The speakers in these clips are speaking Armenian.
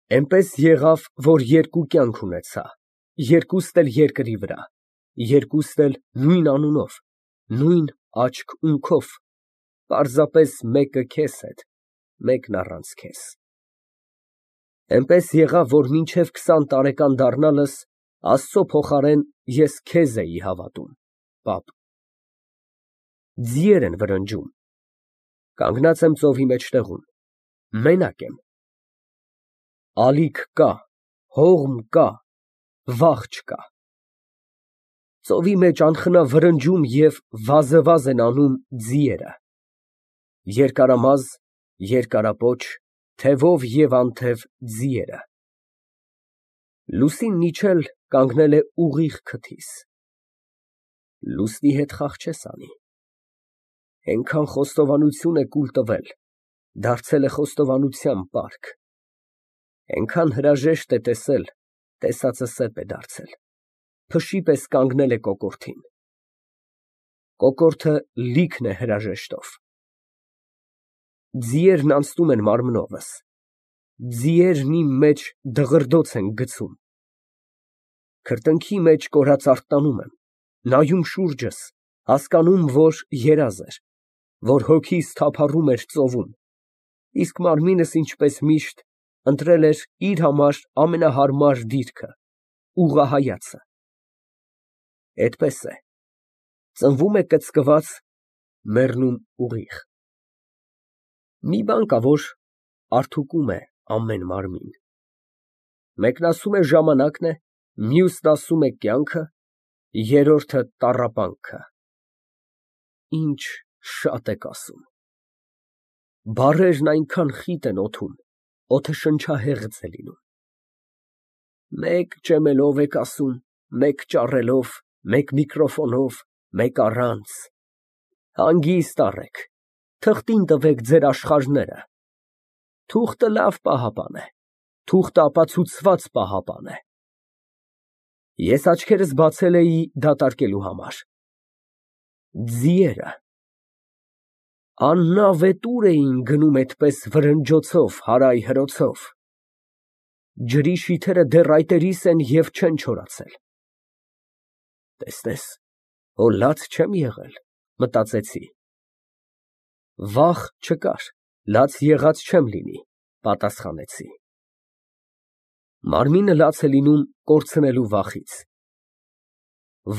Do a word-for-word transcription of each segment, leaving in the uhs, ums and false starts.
Էնպես եղավ, որ երկու կյանք ունեցա, երկուստ էլ երկրի վրա, երկուստ էլ նույն անունով, նույն աչք֊ունքով, պարզապես մեկը քեզ հետ, մեկն առանց քեզ։ Էնպես եղավ, որ մինչև քսան տարեկան դառնալս Աստծու փոխարեն ես քեզ էի հավատում, պապ։ Ձիեր են վրնջում, կանգնած եմ ծովի մեջտեղում, մենակ եմ։ Ալիք կա, հողմ կա, վախ չկա։ Ծովի մեջ անխնա վրնջում և վազևազ են անում ձիերը, երկարամազ, երկարապոչ, թևով և անթև ձիերը։ Լուսինն իջել կանգնել է ուղիղ քթիս։ Լուսնի հետ խաղ չես անի։ Էնքան խոստովանություն է կուլ տվել, դարձել է խոստովանության պարկ, էնքան հրաժեշտ է տեսել, տեսածը սեպ է դարձել, փշի պես կանգնել է կոկորդին։ Կոկորդը լիքն է հրաժեշտով։ Ձիերն անցնում են մարմնովս, ձիերն իմ մեջ դղրդոց են գցում։ Քրտինքի մեջ կորած արթնանում եմ, նայում շուրջս, հասկանում, որ երազ էր, որ հոգիս թափառում էր ծովում, իսկ մարմինս, ինչպես միշտ, ընտրել էր իր համար ամենահարմար դիրքը, ուղղահայացը։ Էդպես է, ծնվում է կծկված, մեռնում ուղիղ։ Մի բան կա, որ արդուկում է ամեն մարմին։ Մեկն ասում է ժամանակն է, մյուսն ասում է կյանքը, երրորդը տառապանքը։ Ինչ շատ եք ասում։ Բառերն այնքան խիտ են օդում, օդը շնչահեղձ է լինում։ Մեկ ճեմելով եք ասում, մեկ ճառելով, մեկ միկրոֆոնով, մեկ առանց։ Հանգիստ առեք, թղթին տվեք ձեր աշխարհները։ Թուղթը լավ պահապան է, թուղթը ապացուցված պահապան է։ Ես աչքերս բացել էի դատարկելու համար։ Ձիերը աննավետուր էին գնում էդպես վրնջոցով, հարայ֊հրոցով։ Ջրի շիթերը դեռ այտերիս են և չեն չորացել։ Տեսնես, հո լաց չեմ եղել, մտածեցի։ Վախ չկար, լաց եղած չեմ լինի, պատասխանեցի։ Մարմինը լաց է լինում կորցնելու վախից։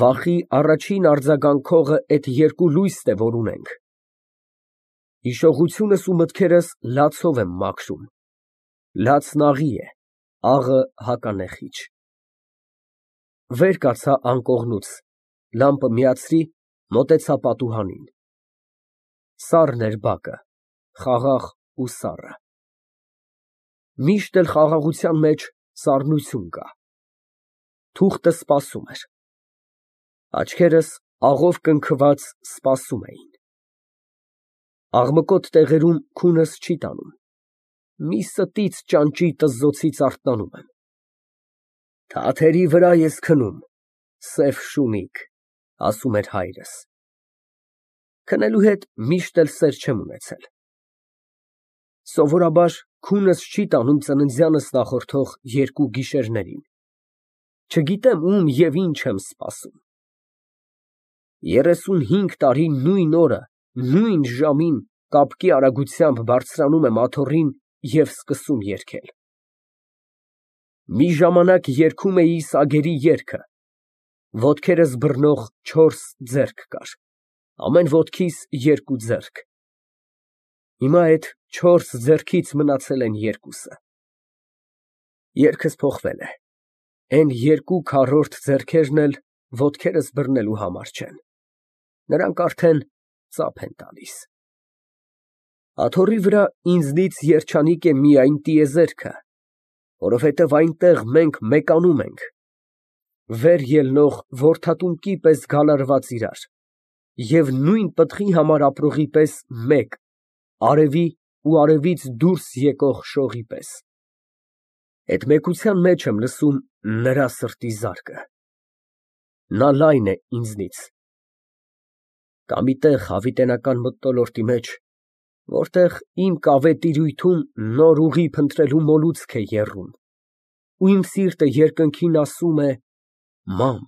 Վախի առաջին արձագանքողը էդ երկու լույսն է, որ ունենք։ Հիշողությունս ու մտքերս լացով եմ մաքրում, լացն աղի է, աղը հականեխիչ։ Վեր կացա անկողնուց, լամպը միացրի, մոտեցա պատուհանին։ Սառն էր բակը, խաղաղ ու սառը։ Միշտ էլ խաղաղության մեջ սառնություն կա։ Թուղթը սպասում էր։ Աչքերս աղով կնքված սպասում էին։ Աղմկոտ տեղերում քունս չի տանում։ Մի ստից ճանճի տզզոցից արթնանում եմ։ Թաթերի վրա ես քնում, սև շունիկ, ասում էր հայրս։ Քնելու հետ միշտ էլ սեր չեմ ունեցել։ Սովորաբար քունս չի տանում ծննդյանս նախորդող երկու գիշերներին։ Չգիտեմ ում և ինչ եմ սպասում։ Երեսունհինգ տարի նույն օրը, նույն ժամին կապկի արագությամբ բարձրանում եմ աթոռին և սկսում երգել։ Մի ժամանակ երգում էի սագերի երգը, ոտքերս բռնող չորս ձեռք կար, ամեն ոտքիս երկու ձեռք։ Հիմա էդ չորս ձեռքից մնացել են երկուսը։ Երգս փոխվել է, էն երկու քառորդ ձեռքերն էլ ոտքերս բռնելու համար չեն, նրանք արդեն ծափ են տալիս։ Աթոռի վրա ինձնից երջանիկ է միայն տիեզերքը, որովհետև այնտեղ մենք մեկանում ենք, վեր ելնող որդատունկի պես գալարված իրար և նույն պտղի համար ապրողի պես մեկ, արևի ու արևից դուրս եկող շողի պես։ Էդ մեկության մեջ եմ լսում նրա սրտի զարկը։ Նա լայն է ինձնից։ Կա մի տեղ հավիտենական մթնոլորտի մեջ, որտեղ իմ կավե տիրույթում նոր ուղի փնտրելու մոլուցք է եռում։ ու իմ սիրտը երկնքին ասում է. «Մամ»։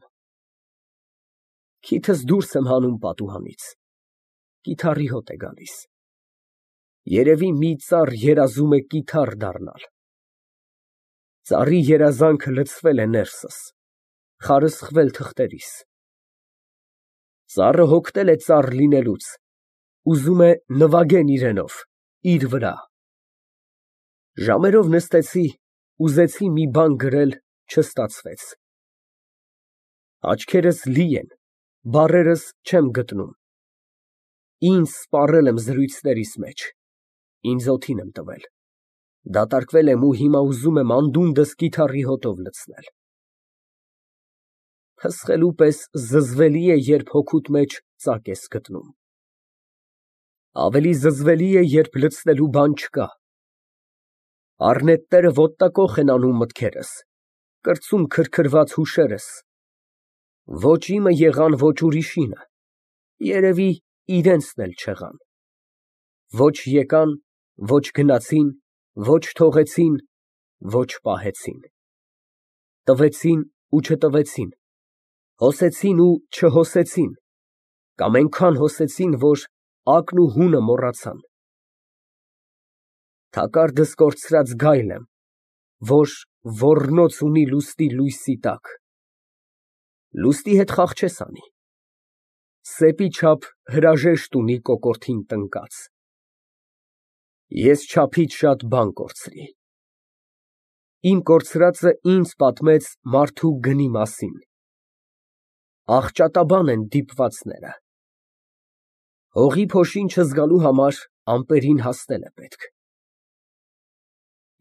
Քիթս դուրս եմ հանում պատուհանից, կիթառի հոտ է գալիս։ Երևի մի ծառ երազում է կիթառ դառնալ։ Ծառի երազանքը լցվել է ներսս, խարսխվել թղթերիս։ Ծառը հոգնել է ծառ լինելուց, ուզում է նվագեն իրենով, իր վրա։ Ժամերով նստեցի, ուզեցի մի բան գրել, չստացվեց։ Աչքերս լի են, բառերս չեմ գտնում։ Ինձ սպառել եմ զրույցներիս մեջ, ինձ օդին եմ տվել, դատարկվել եմ ու հիմա ուզում եմ անդունդս կիթառի հոտով լցնել։ Փսխելու պես զզվելի է, երբ հոգուդ մեջ ծակ ես գտնում։ Ավելի զզվելի է, երբ լցնելու բան չկա։ Առնետները ոտնակոխ են անում մտքերս, կրծում քրքրված հուշերս։ Ոչ իմը եղան, ոչ ուրիշինը, երևի իրենցն էլ չեղան։ Ոչ եկան, ոչ գնացին, ոչ թողեցին, ոչ պահեցին։ Տվեցին ու չտվեցին, հոսեցին ու չհոսեցին, կամ այնքան հոսեցին, որ ակն ու հունը մոռացան։ Թակարդս կորցրած գայլ եմ, որ ոռնոց ունի լուստի լույսի տակ։ Լուստի հետ խաղ չես անի, սեպի չափ հրաժեշտ ունի կոկորդին տնկած։ Ես չափից շատ բան կորցրի։ Իմ կորցրածը ինձ պատմեց մարդու գնի մասին։ Աղճատաբան են դիպվածները։ Հողի փոշին չզգալու համար ամպերին հասնել է պետք։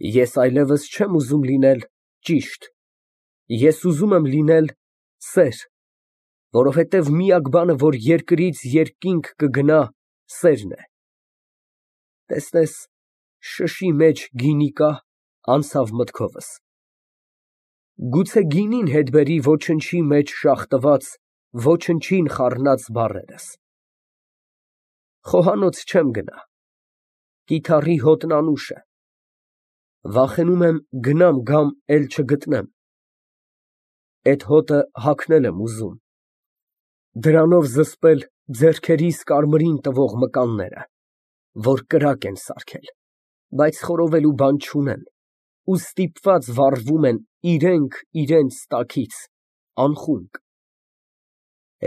Ես այլևս չեմ ուզում լինել ճիշտ, ես ուզում եմ լինել սեր, որովհետև միակ բանը, որ երկրից երկինք կգնա, սերն է։ Տեսնես, շշի մեջ գինի կա, անցավ մտքովս։ Գուցե գինին հետ բերի ոչնչի մեջ շաղ տված, ոչնչին խառնած բառերս։ Խոհանոց չեմ գնա, կիթառի հոտն անուշ է։ Վախենում եմ գնամ գամ, էլ չգտնեմ։ Էդ հոտը հագնել եմ ուզում, դրանով զսպել ձեռքերիս կարմրին տվող մկանները, որ կրակ են սարքել, բայց խորովելու բան չունեն, ու ստիպված վառվում են իրենք իրենց տակից, անխունկ։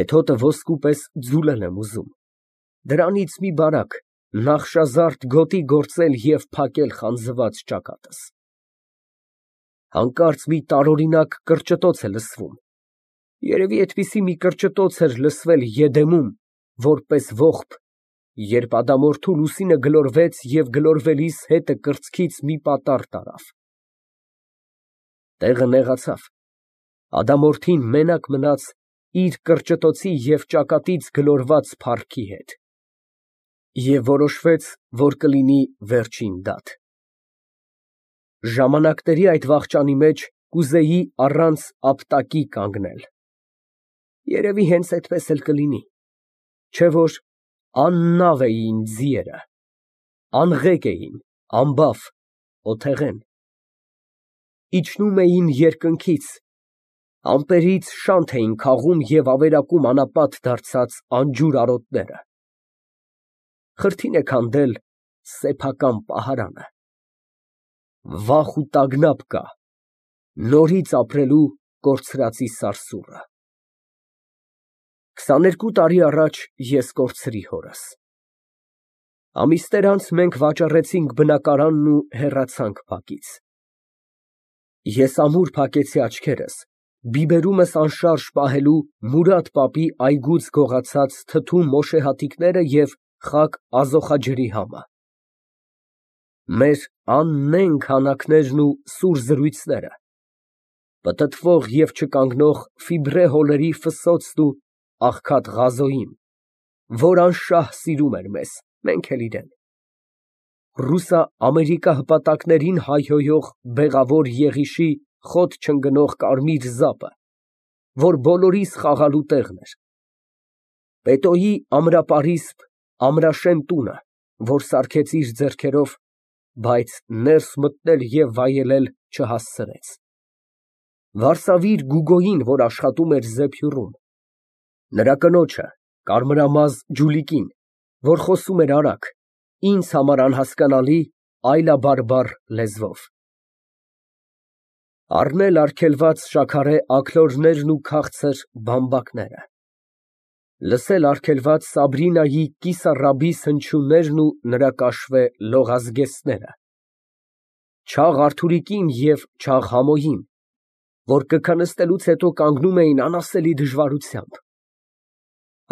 Էդ հոտը ոսկու պես ձուլել եմ ուզում, դրանից մի բարակ, նախշազարդ գոտի գործել և փակել խանձված ճակատս։ Հանկարծ մի տարօրինակ կրճտոց է լսվում, երևի այդպիսի մի կրճտոց էր լսվել Եդեմում, որպես ողբ, երբ ադամորդու լուսինը գլորվեց և գլորվելիս հետը կրծքից մի պատառ տարավ։ Տեղը նեղացավ, ադամորդին մենակ մնաց իր կրճտոցի և ճակատից գլորված փառքի հետ, և որոշվեց, որ կլինի վերջին դատ։ Ժամանակների այդ վախճանի մեջ կուզեի առանց ապտակի կանգնել։ Երևի հենց այդպես էլ կլինի, չէ՞ որ աննավ էին ձիերը, անղեկ էին, անբավ, օթեղեն։ Իջնում էին երկնքից, ամպերից շանթ էին քաղում և ավերակում անապատ դարձած անջուր արոտները։ Խրթին է քանդել սեփական պահարանը։ Վախ ու տագնապ կա, նորից ապրելու կորցրածի սարսուռը։ Քսաներկու տարի առաջ ես կորցրի հորս։ Ամիսներ անց մենք վաճառեցինք բնակարանն ու հեռացանք փակից։ Ես ամուր փակեցի աչքերս, բիբերումս անշարժ պահելու Մուրադ պապի այգուց գողացած թթու մոշեհատիկները և խաք ազոխաջրի համը։ Մեր աննենգ հանակներն ու սուր զրույցները, պտտվող և չկանգնող ֆիբրե հոլերի ֆսոցն ու աղքատ Ղազոյին, որ անշահ սիրում էր մեզ, մենք էլ իրան, ռուսա֊ամերիկա հպատակներին հայհոյող բեղավոր Եղիշի խոտ չընկնող կարմիր զապը, որ բոլորիս խաղալու տեղն էր, Պետոյի ամրապարիսպ ամրաշեն տունը, որ սարքեց իր ձեռքերով, բայց ներս մտնել և վայելել չհասցրեց։ Վարսավիր Գուգոյին, որ աշխատում էր Զեփյուռում, նրա կնոջը կարմրամազ Ջուլիկին, որ խոսում էր արագ, ինձ համար անհասկանալի այլաբարբառ լեզվով, առնել արգելված շաքարե աքլորներն ու քաղցր բամբակները, լսել արգելված Սաբրինայի կիսառաբիս հնչյուններն ու նրա կաշվե լողազգեստները, չաղ Արթուրիկին և չաղ Համոյին, որ կքնստելուց հետո կանգնում էին անասելի դժվարությամբ,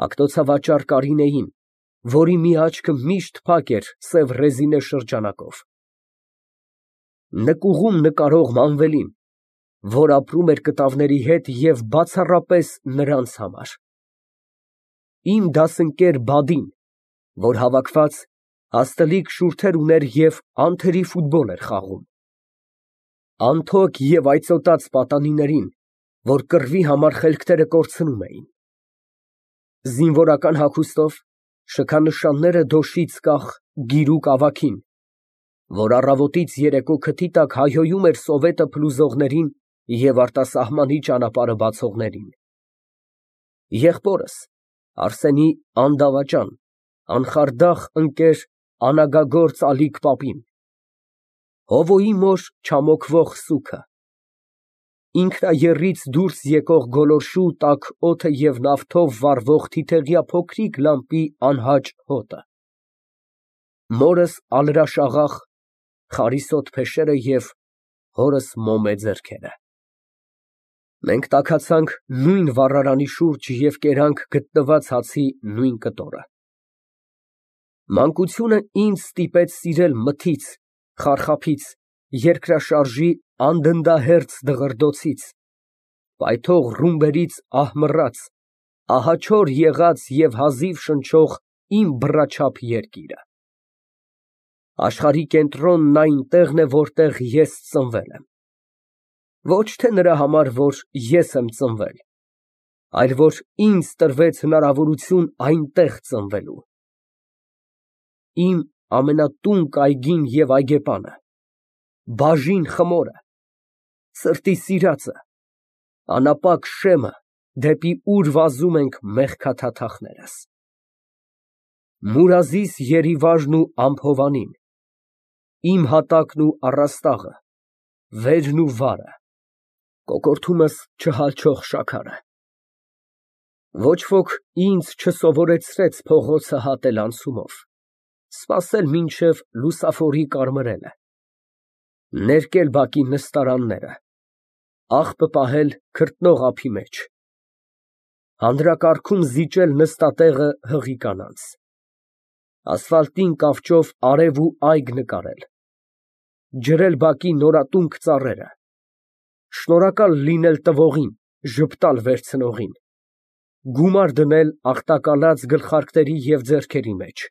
ակտոցավաճառ Կարինեին, որի մի աչքը միշտ փակ էր սև ռեզինե շրջանակով, նկուղում նկարող Մանվելին, որ ապրում էր կտավների հետ և բացառապես նրանց համար, իմ դասընկեր Բադին, որ հավաքված հաստլիկ շուրթեր ուներ և անթերի ֆուտբոլ էր խաղում, անթոք և այծոտած պատանիներին, որ կռվի համար խելքները կորցնում էին, զինվորական հագուստով, շքանշանները դոշից կախ գիրուկ ավագին, որ առավոտից երեկո քթի տակ հայհոյում էր սովետը փլուզողներին և արտասահմանի ճանապարհը բացողներին, եղբորս Արսենի անդավաճան, անխարդախ ընկեր անագագործ Ալիկ պապին, Հովոյի մոր չամոքվող սուգը, ինքնաեռից դուրս եկող գոլորշու տաք օդը և նավթով վառվող թիթեղյա փոքրիկ լամպի անհաճ հոտը, մորս ալրաշաղախ խարիսոտ փեշերը և հորս մոմե ձեռքերը։ Մենք տաքացանք նույն վառարանի շուրջ և կերանք գտնված հացի նույն կտորը։ Մանկությունը ինձ ստիպեց սիրել մթից, խարխափից, երկրաշարժի անդնդահերձ դղրդոցից, պայթող ռումբերից ահմռած, ահաչոր եղած և հազիվ շնչող իմ բռաչափ երկիրը։ Աշխարհի կենտրոնն այնտեղն է, որտեղ ես ծնվել եմ, ոչ թե նրա համար, որ ես եմ ծնվել, այլ որ ինձ տրվեց հնարավորություն այնտեղ ծնվելու։ Իմ ամենատունկ այգին և այգեպանը, բաժին խմորը, սրտի սիրածը, անապակ շեմը, դեպի ուր վազում ենք մեղքաթաթախներս։ Մուրազիս Երիվաժն ու ամփովանին, իմ հատակն ու առաստաղը, վերն ու վարը, կոկորդումս չհալչող շաքարը։ Ոչ ոք ինձ չսովորեցրեց փողոցը հատել անցումով, սպասել մինչև լուսավորի կարմրելը, ներկել բակի նստարանները, աղբը պահել քրտնող ափի մեջ, հանրակարգում զիջել նստատեղը հղի կանանց, ասֆալտին կավճով արև ու այգ նկարել, ջրել բակի նորատունկ ծառերը, շնորհակալ լինել տվողին, ժպտալ վերցնողին, գումար դնել աղտակալած գլխարկների և ձեռքերի մեջ։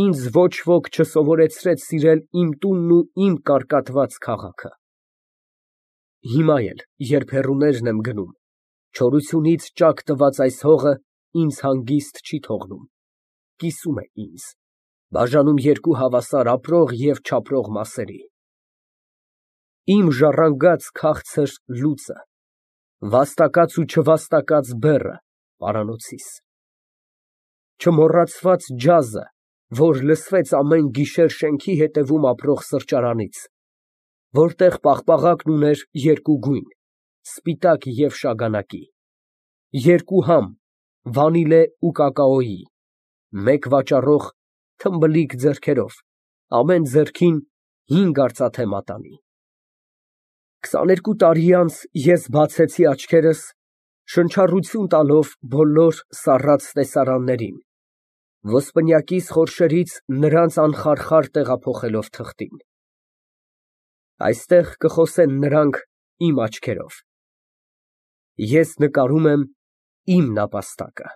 Ինձ ոչ ոք չսովորեցրեց սիրել իմ տունն ու իմ կարկատված քաղաքը։ Հիմա էլ, երբ հեռուներն եմ գնում, չորությունից ճաք տված այս հողը ինձ հանգիստ չի թողնում, կիսում է ինձ, բաժանում երկու հավասար ապրող և չապրող մասերի։ Իմ ժառանգած քաղցր լուծը, վաստակած ու չվաստակած բեռը պարանոցիս, չմոռացված ջազը, որ լսվեց ամեն գիշեր շենքի հետևում ապրող սրճարանից, որտեղ պաղպաղակն ուներ երկու գույն, սպիտակ և շագանակի, երկու համ, վանիլե ու կակաոյի, մեկ վաճառող թմբլիկ ձեռքերով, ամեն ձեռքին հինգ արծաթե մատանի։ Քսաներկու տարի անց ես բացեցի աչքերս, շնչառություն տալով բոլոր սառած տեսարաններին, ոսպնյակիս խորշերից նրանց անխարխար տեղափոխելով թղթին։ Այստեղ կխոսեն նրանք իմ աչքերով։ Ես նկարում եմ իմ նապաստակը։